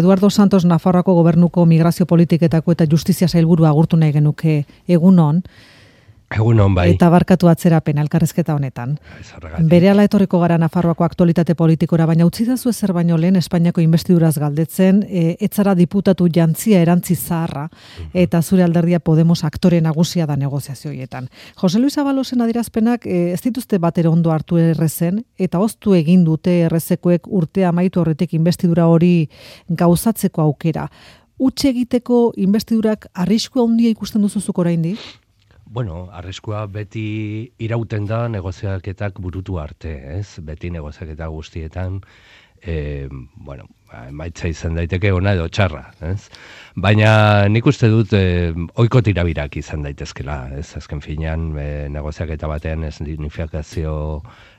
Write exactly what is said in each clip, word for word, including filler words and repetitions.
Eduardo Santos Nafarroako gobernuko migrazio politiketako eta justizia sailburua agurtu nahi genuke egunon. Egunon bai. Eta barkatu atzerapen elkarrizketa honetan. Berehala etorriko gara Nafarroako aktualitate politikora, baina utzi dazu ezer baino lehen Espainiako investiduraz galdetzen, e, etzara diputatu jantzia erantzi zaharra, eta zure alderdia Podemos aktore nagusia da negoziazioietan. Jose Luis Abalosen adierazpenak e, ez dituzte batera ondo hartu errezen, eta oztu egin dute errezekoek urtea amaitu horretik investidura hori gauzatzeko aukera. Utxe egiteko investidurak arriskua handia ikusten duzuzuk oraindik? Bueno, arriskua beti irauten da negoziaketak burutu arte, ez? Beti negoziaketa guztietan, e, bueno, emaitza izan daiteke ona edo txarra, ez? Baina nik uste dut e, ohiko tirabirak izan daitezkela, ez? Azken finean, e, negoziaketa batean escenifikazio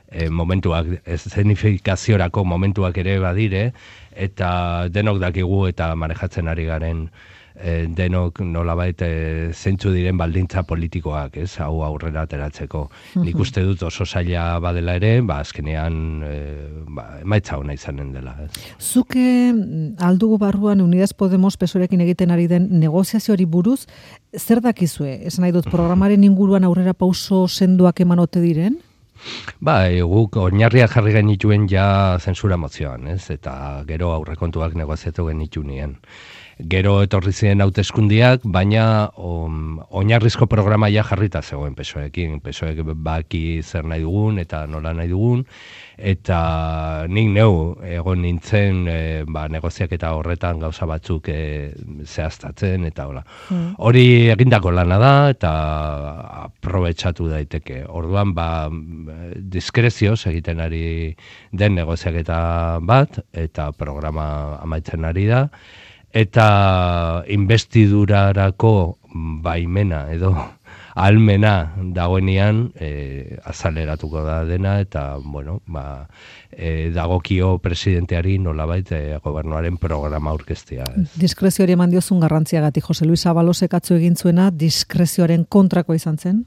e, momentuak, eszenifikaziorako momentuak ere badire, eta denok dakigu eta manejatzen ari garen E, denok nolabait e, zeintzu diren baldintza politikoak, ez, hau aurrera ateratzeko. Nik uste dut oso zaila badela ere, ba, azkenean e, ba, emaitza ona izanen dela. Ez. Zuke aldugu barruan Unidas Podemos Pesorekin egiten ari den negoziazioari buruz, zer dakizue? Esan nahi dut, programaren inguruan aurrera pauso sendoak eman ote diren? Ba, e, guk oinarria jarri genituen ja zentsura mozioan, ez, eta gero aurrekontuak negoziatu genituen. Gero etorri ziren hauteskundiak, baina um, oinarrizko programa ja jarrita zegoen pesoekin. Pesoek baki zer nahi dugun eta nola nahi dugun, eta nik neu egon nintzen e, ba, negoziak eta horretan gauza batzuk e, zehaztatzen, eta hola. Mm. Hori egindako lana da, eta aprobetxatu daiteke. Orduan, ba, diskrezioz egiten ari den negoziaketa bat, eta programa amaitzen ari da, eta investidurarako baimena edo almena dagoenean e, azaleratuko da dena, eta bueno, ba, e, dagokio presidenteari nolabait e, gobernuaren programa aurkeztea. Diskrezioari eman diozun garrantziagatik, Jose Luis Abalosek atzo egin zuena diskrezioaren kontrakoa izan zen?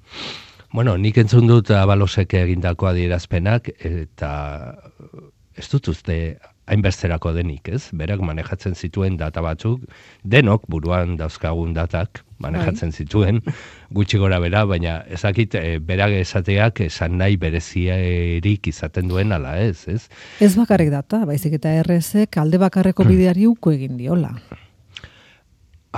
Bueno, nik entzun dut Abalosek egindako adierazpenak, eta ez dut uste hainbesterako denik, ez? Berak manejatzen zituen data batzuk, denok buruan dauzkagun datak manejatzen zituen, gutxi gora bera, baina ezakit e, berak esateak esan nahi berezierik izaten duen ala ez, ez? Ez bakarrik data, baizik eta R S alde bakarreko bideari uko egin diola.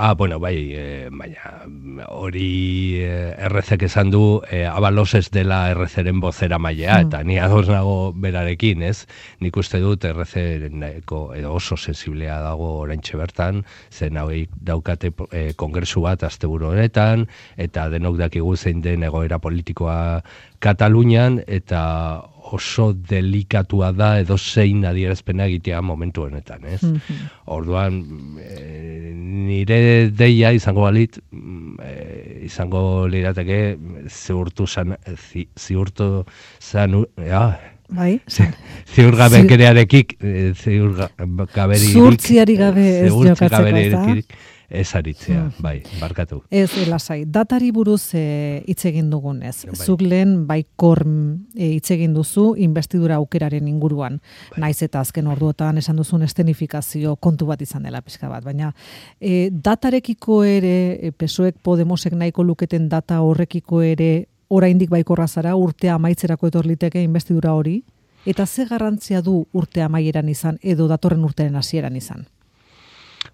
Ah, bueno, bai, e, baina hori e, R Z-ek esan du e, Abalos ez dela R Z-ren bozera mailea, mm. eta ni ados nago berarekin, ez? Nik uste dut R Z-eko edo oso sensiblea dago oraintxe bertan, zen hauek daukate e, kongresu bat asteburu honetan, eta denok dakigu zein den egoera politikoa Katalunian, eta oso delikatua da edo zein adierazpena egitea momentu honetan, ez? Mm-hmm. Orduan, e, nire deia izango balit, e, izango lirateke ziurtu zan, zi, ziurtu zan, ja, bai? Ziurgabekerearekik, ziurgaberirik, zurtziari gabe ez jokatzeko, ez ez aritzea, mm. bai, barkatu. Ez, lasai, datari buruz e, hitz egin dugunez. Bai. Zuk lehen baikor e, hitz egin duzu investidura aukeraren inguruan. Bai. Naiz eta azken orduotan esan duzun estenifikazio kontu bat izan dela pixka bat. Baina e, datarekiko ere, e, Pesoek Podemosek nahiko luketen data horrekiko ere oraindik baikorra zara, urtea amaitzerako etorliteke investidura hori, eta ze garrantzia du urtea amaieran izan edo datorren urtearen hasieran izan?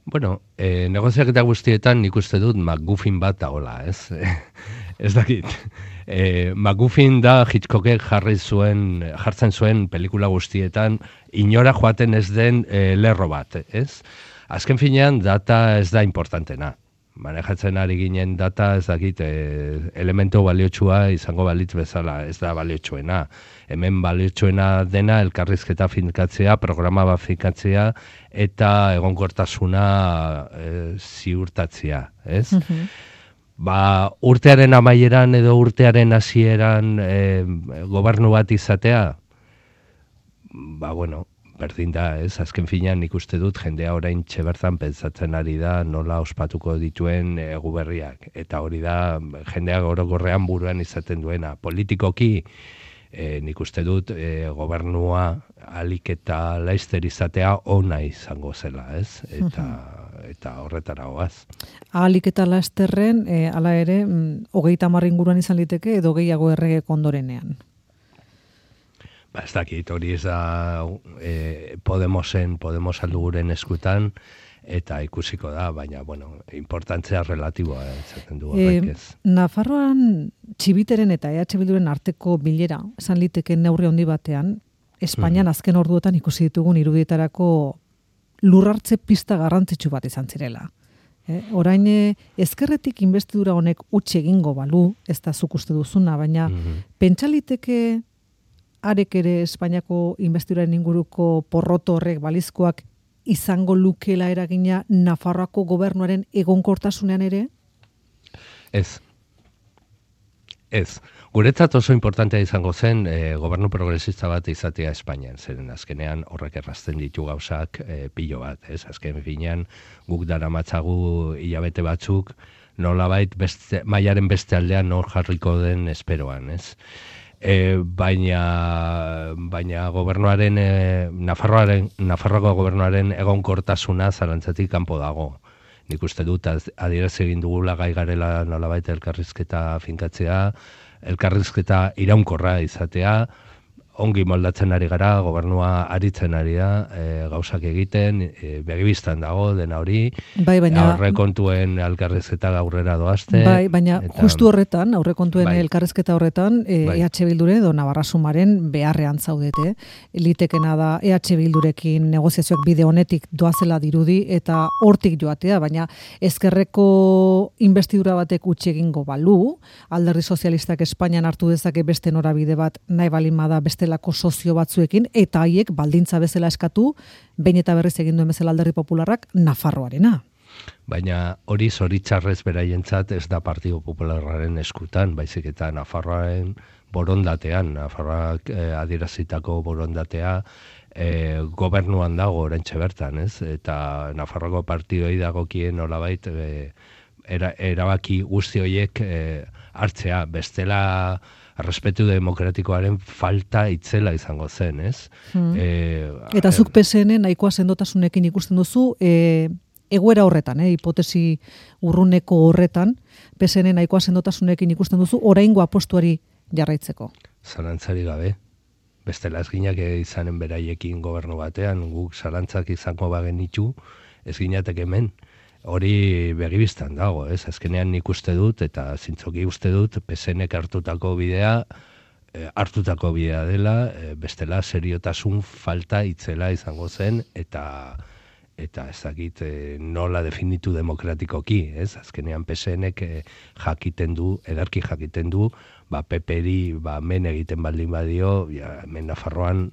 Bueno, eh, negoziaketa guztietan nik uste dut MacGuffin bat dagoela, ez? Ez dakit. Eh, MacGuffin da Hitchcockek jarri zuen, jartzen zuen pelikula guztietan inora joaten ez den eh, lerro bat, ez? Azken finean data ez da importantena. Manejatzen ari ginen data, ez dakit, e, elemento baliotsua izango balitz bezala, ez da baliotsuena. Hemen baliotsuena dena elkarrizketa finkatzea, programa bat finkatzea, eta egonkortasuna e, ziurtatzea, ez? Mm-hmm. Ba, urtearen amaieran edo urtearen hasieran e, gobernu bat izatea, ba, bueno, berdin da, ez? Azken finean nik uste dut jendea orain txebertan pentsatzen ari da nola ospatuko dituen e, guberriak. Eta hori da jendeak orokorrean buruan izaten duena. Politikoki E, nik uste dut e, gobernua alik eta laizter izatea ona izango zela, ez? Eta, eta horretara goaz. Ahalik eta laizterren, e, ala ere, mm, hogeita hamar inguruan izan liteke edo gehiago erregek ondorenean. Ba, ez dakit, hori ez da e, Podemosen, Podemos alduguren eskutan, eta ikusiko da, baina, bueno, importantzia relatiboa, ezaten du horrek ez. E, Nafarroan Txibiteren eta E H Bilduren arteko bilera, esan liteke neurri handi batean, Espainian azken orduotan ikusi ditugun irudietarako lurrartze pista garrantzitsu bat izan zirela. E, orain ezkerretik inbestidura honek utzi egingo balu, ez da zuk uste duzuna, baina mm-hmm. pentsaliteke arek ere Espainiako inbestiduraren inguruko porroto horrek balizkoak izango lukela eragina Nafarroako gobernuaren egonkortasunean ere? Ez. Ez. Guretzat oso importantea izango zen e, gobernu progresista bat izatea Espainian, zeren azkenean horrek errazten ditu gauzak e, pilo bat, ez? Azken finean guk daramatzagu hilabete batzuk nolabait beste, mailaren beste aldean nor jarriko den esperoan, ez? E, baina baina gobernuaren e, Nafarroaren Nafarroako gobernuaren egonkortasuna zalantzatik kanpo dago. Nik uste dut adierazi egin dugula gai garela nolabait elkarrizketa finkatzea, elkarrizketa iraunkorra izatea, ongi moldatzen ari gara, gobernua aritzen ari da, e, gauzak egiten, e, begibistan dago dena hori, bai, baina aurrekontuen elkarrizketa aurrera doazte. Bai, baina eta, justu horretan, aurrekontuen bai. elkarrizketa horretan, e, bai. E H Bilduren edo Navarra Sumaren beharrean zaudete. Litekena da E H Bildurekin negoziazioak bide honetik doazela dirudi eta hortik joatea, baina ezkerreko inbestidura batek utzi egingo balu, Alderdi Sozialistak Espainian hartu dezake beste norabide bat nahi balin bada beste lako sozio batzuekin, eta haiek baldintza bezala eskatu, behin eta berriz egin duen bezala Alderdi Popularrak Nafarroarena. Baina hori zoritxarrez beraientzat ez da Partido Popularraren eskutan, baizik eta Nafarroaren borondatean, Nafarroak eh, adierazitako borondatea eh, gobernuan dago oraintxe bertan, ez? Eta Nafarroako partidoi dagokien nolabait eh, era, erabaki guzti horiek eh, hartzea, bestela errespetu demokratikoaren falta itzela izango zen, ez? Hmm. E, Eta zuk P S N nahikoa sendotasunekin ikusten duzu, e, egoera horretan, e, hipotesi urruneko horretan, P S N nahikoa sendotasunekin ikusten duzu, oraingo apostuari jarraitzeko. Zalantzari gabe. Bestela ez ginak izanen beraiekin gobernu batean, guk zalantzak izango bagenitu, ez ginatek hemen. Hori begibistan dago, ez? Azkenean nik uste dut, eta zintzoki uste dut, P S N-ek hartutako bidea, e, hartutako bidea dela, e, bestela seriotasun falta itzela izango zen, eta eta ez dakit e, nola definitu demokratikoki, ez? Azkenean P S N-ek e, jakiten du, ederki jakiten du, ba, P P-ri ba, men egiten baldin badio, ja, men Nafarroan,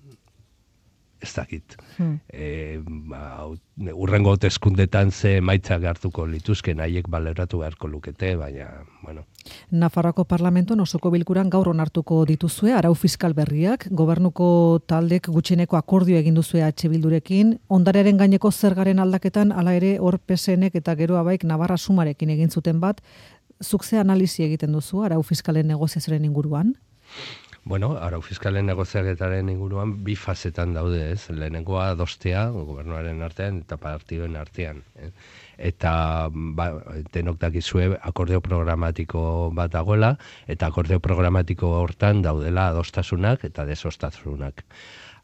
ez dakit. Hmm. E, ba, urrengo hauteskundetan ze emaitzak hartuko lituzken, haiek baleratu beharko lukete, baina, bueno. Nafarroako parlamentuan osoko bilkuran gaur onartuko dituzue, arau fiskal berriak, gobernuko taldek gutxieneko akordio egin duzue H Bildurekin, ondarearen gaineko zergaren aldaketan, hala ere hor P S N-ek eta gero abaik Navarra Sumarekin egin zuten bat, zuk ze analizi egiten duzu arau fiskalen negoziazioaren inguruan? Bueno, arau fiskalen negoziaketaren inguruan bi fasetan daude, ez? Lehenengoa adostea, gobernuaren artean eta partidoen artean. Eh? Eta ba, denok dakizue akordeo programatiko bat dagoela, eta akordeo programatiko hortan daudela adostasunak eta desostasunak.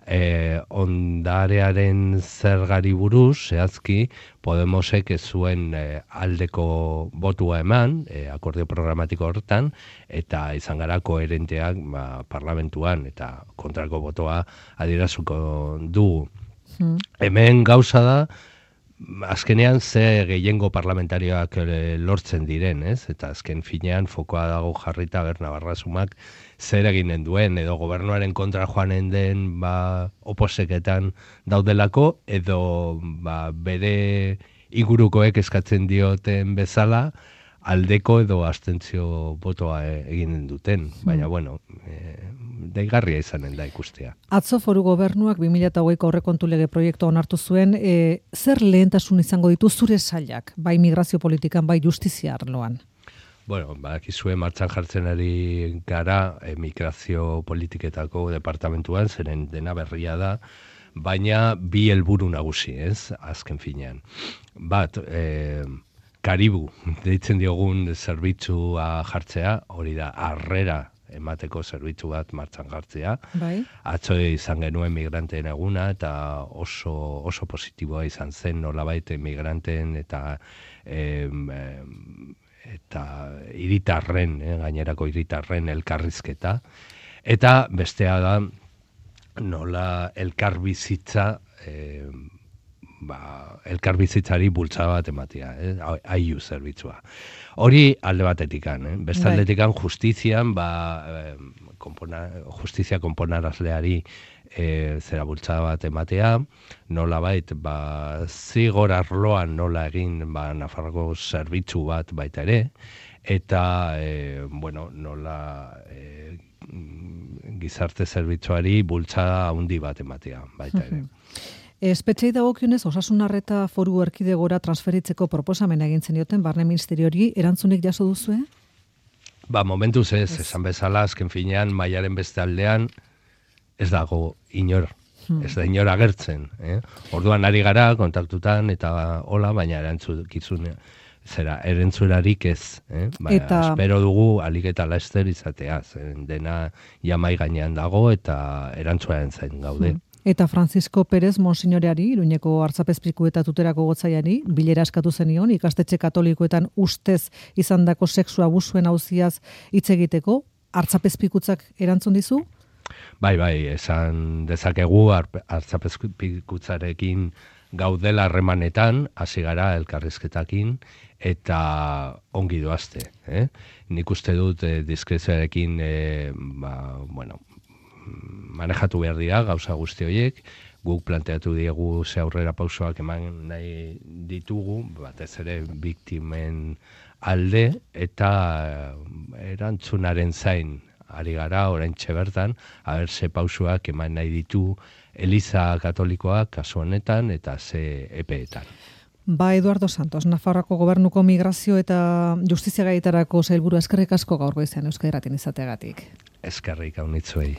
E, ondarearen zergari buruz, zehazki, Podemosek ez zuen e, aldeko botua eman, e, akordeo programatiko hortan, eta izan gara koherenteak ba, parlamentuan, eta kontrako botoa adierazuko dugu. Hmm. Hemen gauza da, azkenean ze gehiengo parlamentarioak lortzen diren, ez? Eta azken finean fokoa dago jarrita ber Navarra Sumak zer eginen duen, edo gobernuaren kontra joanen den ba, oposeketan daudelako, edo ba, bere ingurukoek eskatzen dioten bezala, aldeko edo abstentzio botoa eginen duten. Baina, bueno, e, deigarria izanen da ikustea. Atzo foru gobernuak bi mila hogeiko aurrekontu lege proiektua onartu zuen, e, zer lehentasun izango ditu zure sailak, bai migrazio politikan, bai justizia arloan? Bueno, bakizue martxan jartzen ari gara emigrazio politiketako departamentuan, zeren dena berria da, baina bi helburu nagusi, ez, azken finean. Bat, e, Karibu, deitzen diogun zerbitzua jartzea, hori da, harrera emateko zerbitzu bat martxan jartzea. Bai. Atzo izan genuen migranteen eguna, eta oso, oso positiboa izan zen, nolabait migranteen eta e, eta hiritarren, eh, gainerako hiritarren elkarrizketa. Eta bestea da, nola elkarbizitza, eh, ba, elkarbizitzari bultza bat ematea, eh, aiu zerbitzua. Hori alde batetikan, eh? Beste aldetikan justizian, ba, eh, konpona, justizia konponarazleari e, zera bultza bat ematea, nola bait, ba, zigor arloan nola egin, ba, Nafarroko zerbitzu bat baita ere, eta, e, bueno, nola e, gizarte zerbitzuari bultza handi bat ematea baita ere. Espetxei dagokionez, osasun arreta foru erkidegora transferitzeko proposamena egin zenioten barne ministeriori, erantzunik jaso duzue? Ba, momentuz ez, esan bezala, azken finean, mailaren beste aldean, ez dago inor, hmm. ez da inor agertzen. Eh? Orduan ari gara, kontaktutan, eta hola, baina erantzukizun, zera, erantzularik ez. Eh? Baina, eta... espero dugu, alik eta laster izatea, zen dena jamai gainean dago, eta erantzuaren zain gaude. Hmm. Eta Francisco Pérez Monsignoreari, Iruñeko Artzapezpiku eta Tuterako gotzaiari, bilera eskatu zenion, ikastetxe katolikoetan ustez izandako sexu abusuen auziaz hitz egiteko, Artzapezpikutzak erantzun dizu? Bai, bai, esan dezakegu Artzapezpikutzarekin gaudela harremanetan, hasi gara elkarrizketakin, eta ongi doazte. Eh? Nik uste dut eh, diskrezioarekin, eh, ba, bueno, manejatu behar dira gauza guzti horiek, guk planteatu diegu ze aurrera pausoak eman nahi ditugu, batez ere biktimen alde, eta erantzunaren zain ari gara oraintxe bertan, haber ze pausoak eman nahi ditu Eliza Katolikoak kasu honetan eta ze epeetan. Ba, Eduardo Santos, Nafarroako Gobernuko Migrazio eta Justizia Gaietarako sailburu, eskerrik asko gaur goizean Euskadi Irratian izateagatik. Eskerrik hau nitzuei.